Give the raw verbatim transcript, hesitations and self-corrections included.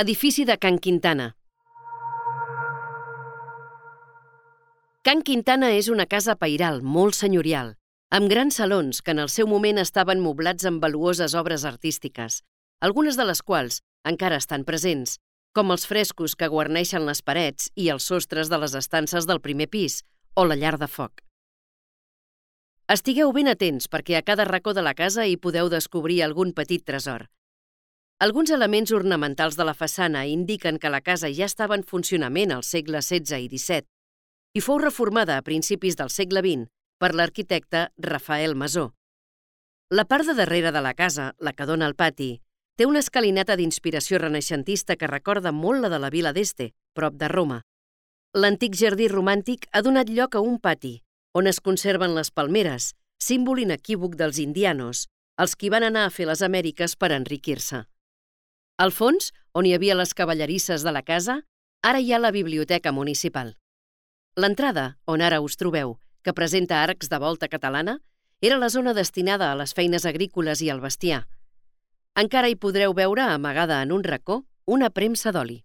Edifici de Can Quintana. Can Quintana és una casa pairal molt senyorial, amb grans salons que en el seu moment estaven moblats amb valuoses obres artístiques, algunes de les quals encara estan presents, com els frescos que guarneixen les parets i els sostres de les estances del primer pis o la llar de foc. Estigueu ben atents perquè a cada racó de la casa hi podeu descobrir algun petit tresor. Alguns elements ornamentals de la façana indiquen que la casa ja estava en funcionament al segle setze i disset i fou reformada a principis del segle vint per l'arquitecte Rafael Masó. La part de darrere de la casa, la que dóna al pati, té una escalinata d'inspiració renaixentista que recorda molt la de la vila d'Este, prop de Roma. L'antic jardí romàntic ha donat lloc a un pati, on es conserven les palmeres, símbol inequívoc dels indianos, els qui van anar a fer les Amèriques per enriquir-se. Al fons, on hi havia les cavallerisses de la casa, ara hi ha la biblioteca municipal. L'entrada, on ara us trobeu, que presenta arcs de volta catalana, era la zona destinada a les feines agrícoles i al bestiar. Encara hi podreu veure, amagada en un racó, una premsa d'oli.